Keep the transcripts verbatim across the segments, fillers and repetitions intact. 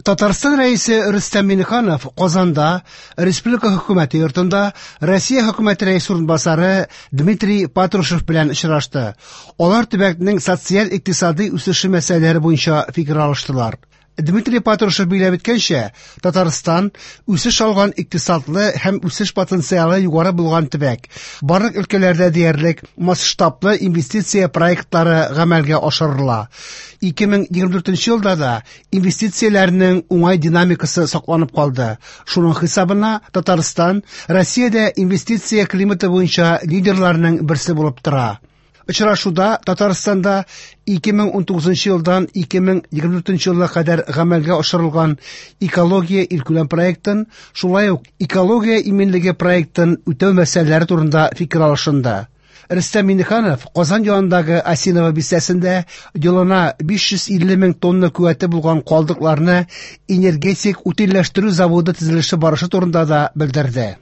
Татарстан Рәисе Рөстәм Миңнеханов Казанда Республика Хөкүмәте йортында Россия Хөкүмәте Рәисе урынбасары Дмитрий Патрушев белән очрашты. Алар төбәкнең социаль-икътисади үсеше мәсьәләләре буенча фикер алыштылар. Дмитрий Патрушев билгеләп үткәнчә, Татарстан үсеш алган икътисадлы һәм үсеш потенциалы югары булган төбәк. Барлык өлкәләрдә диярлек масштаблы инвестиция проектлары гамәлгә ашырыла. ике мең егерме дүртенче елда да инвестицияләрнең уңай динамикасы сакланып калды. Шуның хисабына Татарстан Россиядә инвестиция климаты буенча лидерларның берсе булып тора. Очрашуда Татарстанда ике мең унтугызынчы елдан ике мең егерме дүртенче елга кадәр гамәлгә ашырылган экология илкүләм проектын, шулай ук экология иминлеге проектын үтәү мәсьәләләре турында фикер алышынды. Рөстәм Миңнеханов Казан янындагы Осиново бистәсендә елына биш йөз илле мең тонна куәте булган калдыкларны энергетик утильләштерү заводы төзелеше барышы турында да белдерде.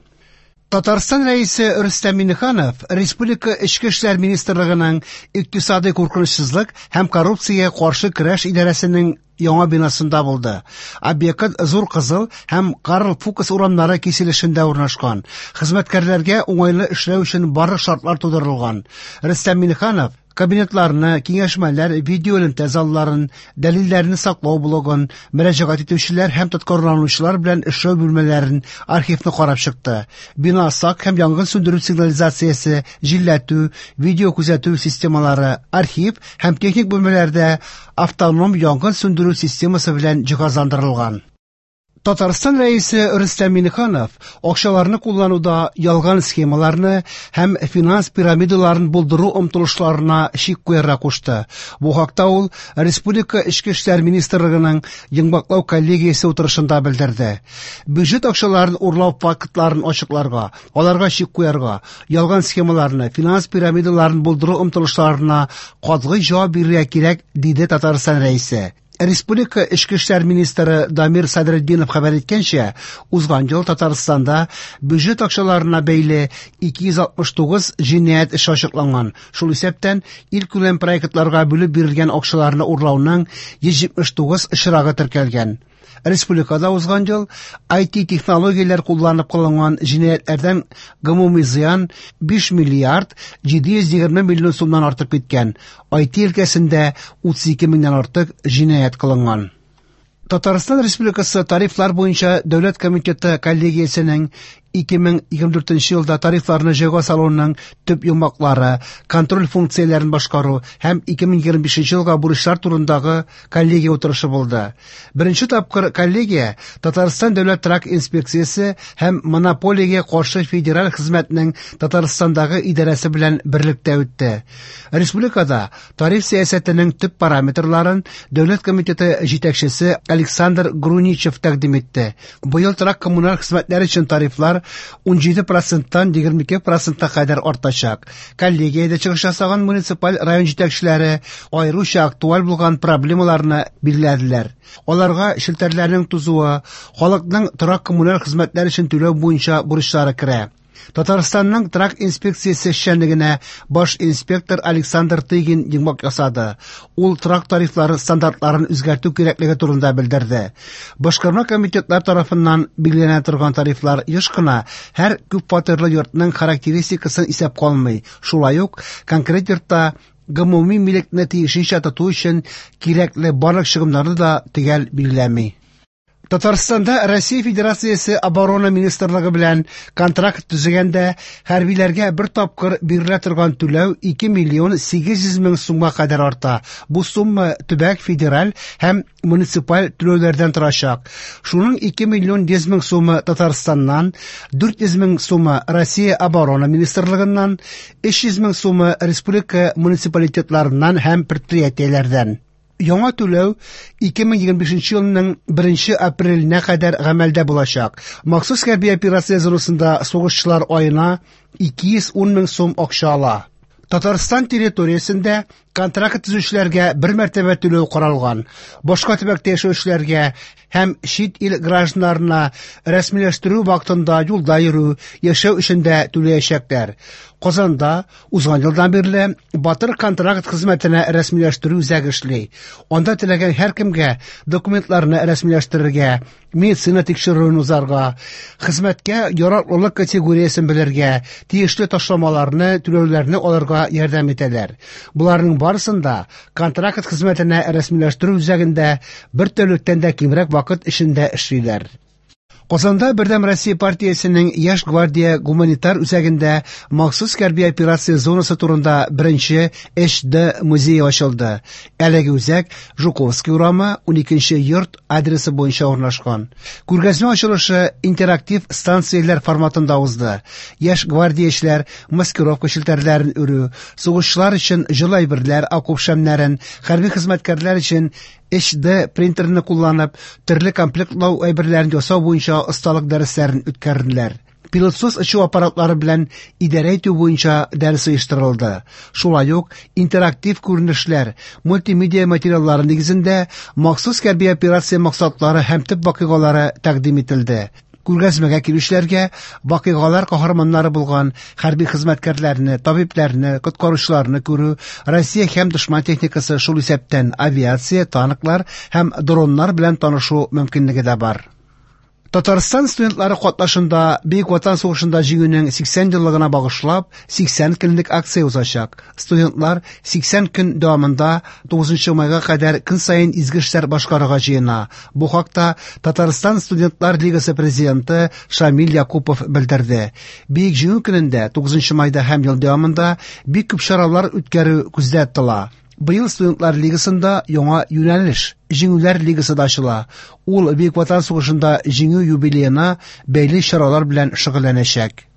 Татарстан Рәисе Рөстәм Миңнеханов Республика Эчке эшләр министрлыгының икътисади куркынычсызлык һәм коррупциягә каршы көрәш идарәсенең яңа бинасында булды. Объект Зур Кызыл һәм Карл Фукс урамнары киселешендә урнашкан. Хезмәткәрләргә уңайлы эшләү өчен барлык шартлар тудырылган. Рөстәм Миңнеханов кабинетларны, киңәшмәләр, видеоэлемтә залларын, дәлилләрне саклау блогын, мөрәҗәгать итүчеләр һәм тоткарланучылар белән эшләү бүлмәләрен, архивны карап чыкты. Бина сак һәм янгын сүндерү сигнализациясе, җилләтү, видео күзәтү системалары, архив һәм техник бүлмәләрдә автоном янгын сүндерү системасы белән җиһазландырылган. Татарстан Рәисе Рөстәм Миңнеханов акчаларны куллануда ялган схемаларны һәм финанс пирамидаларын булдыру омтылышларына чик куярга кушты. Бу хакта ул Республика Эчке эшләр министрлыгының йомгаклау коллегиясе утырышында белдерде. Бюджет акчаларын урлау фактларын ачыкларга, аларга чик куярга, ялган схемаларны, финанс пирамидаларын булдыру омтылышларына катгый җавап бирергә кирәк, диде Татарстан Рәисе. Республика Эчке эшләр министры Дамир Садретдинов хәбәр иткәнчә, узган ел Татарстанда бюджет акчаларына бәйле ике йөз алтмыш тугыз җинаять эше ачыкланган. Шул исәптән илкүләм проектларга бүлеп бирелгән акчаларны урлауның йөз җитмеш тугыз очрагы теркәлгән. Республикада узган ел ай ти технологияләр кулланып кылынган җинаятьләрдән гомуми зыян биш миллиард җиде йөз егерме миллион сумнан артып киткән. ай ти өлкәсендә утыз ике меңнән артык җинаять кылынган. Татарстан Республикасы тарифлар буенча дәүләт комитеты коллегиясенең ике мең егерме дүртенче елда тарифларны җайга салуның төп йомгаклары, контроль функцияләрен башкару һәм ике мең егерме бишенче елга бурычлар турындагы коллегия утырышы булды. Беренче тапкыр коллегия Татарстан дәүләт торак инспекциясе һәм монополиягә каршы федераль хезмәтнең Татарстандагы идарәсе белән берлектә үтте. Республикада тариф сәясәтенең төп параметрларын дәүләт комитеты җитәкчесе Александр Груничев тәкъдим итте. Быел торак коммуналь хезмәтләр өчен тарифлар ун җиде проценттан егерме ике процентка кадәр артачак. Коллегиядә чыгыш ясаган муниципаль район җитәкчеләре аеруча актуаль булган проблемаларны билгеләделәр. Аларга челтәрләрнең тузуы, халыкның торак коммуналь хезмәтләр өчен түләү буенча бурычлары керә. Татарстанның торак инспекциясе эшчәнлегенә баш инспектор Александр Тыгин йомгак ясады. Ул торак тарифлары стандартларын үзгәртү кирәклеге турында белдерде. Башкарма комитетлар тарафыннан билгеләнә торган тарифлар еш кына һәр күпфатирлы йортның характеристикасын исәпкә алмый. Шулай ук конкрет йортта гомуми милекне тиешенчә тоту өчен кирәкле барлык чыгымнарны да төгәл билгеләми. Татарстанда Россия Федерациясе Оборона Министрлыгы белән контракт төзегәндә хәрбиләргә бер тапкыр бирелә торган түләү ике миллион сигез йөз мең сумга кадәр арта. Бу сумма төбәк, федераль һәм муниципаль түләүләрдән торачак. Шуның ике миллион йөз мең сумы Татарстаннан, дүрт йөз мең сумы Россия Оборона Министрлыгыннан, өч йөз мең сумы республика муниципалитетларыннан һәм предприятиеләрдән. Яңа түләү ике мең егерме бишенче елның беренче апреленә кадәр гамәлдә булачак. Махсус хәрби операция зонасында сугышчылар аена ике йөз ун мең сум акча ала. Татарстан территориясендә Контракт төзүчеләргә бер мәртәбә түләү каралган. Башка төбәктә яшәүчеләргә һәм чит ил гражданнарына рәсмиләштерү вакытында юлда йөрү, яшәү өчен дә түләячәкләр. Казанда узган елдан бирле Батыр контракт хезмәтенә рәсмиләштерү үзәге эшли. Анда теләгән һәркемгә документларны рәсмиләштерергә, медицина тикшерүен узарга, хезмәткә яраклылык категориясен белергә, тиешле ташламаларны, түләүләрне алырга ярдәм итәләр. Боларның барысын да контракт хезмәтенә рәсмиләштерү үзәгендә бер тәүлектән дә кимрәк вакыт эчендә эшлиләр. Казанда Бердәм Россия партиясенең Яшь гвардия гуманитар үзәгендә махсус хәрби операция зонасы турында беренче H D музее ачылды. Әлеге үзәк Жуковский урамы уникенче йорт адресы буенча урнашкан. Күргәзмә ачылышы интерактив станцияләр форматында узды. Яшь гвардиячеләр маскировка челтәрләрен үрү, сугышчылар өчен җылы әйберләр, окоп шәмнәрен, хәрби хезмәткәрләр өчен H D принтерны кулланып, төрле комплектлау әйберләрен ясау буенча осталык дәресләрен үткәрделәр. Пилотсыз очу аппаратлары белән идарә итү буенча дәрес оештырылды. Шулай ук интерактив күренешләр, мультимедиа материаллары нигезендә махсус хәрби операция максатлары һәм төп вакыйгалары тәкъдим ителде. Күргәзмәгә килүчеләргә вакыйгалар каһарманнары булган хәрби хезмәткәрләрне, табибләрне, коткаручыларны күрү, Россия һәм дошман техникасы, шул исәптән авиация, танклар һәм дроннар белән танышу мөмкинлеге дә бар. Татарстан студентлары катнашында Бөек Ватан сугышында җиңүнең сиксән еллыгына багышлап сиксән көнлек акция узачак. Студентлар сиксән көн дәвамында тугызынчы майга кадәр көн саен изге эшләр башкарырга җыена. Бу хакта Татарстан студентлар лигасы президенты Шамил Якупов белдерде. Бөек Җиңү көнендә тугызынчы майда һәм ел дәвамында бик күп чаралар үткәрү күздә тотыла. Быел студентлар лигасында яңа юнәлеш Җиңүләр лигасы да ачыла. Ул Бөек Ватан сугышында җиңү юбилеена бәйле чаралар белән шөгыльләнәчәк.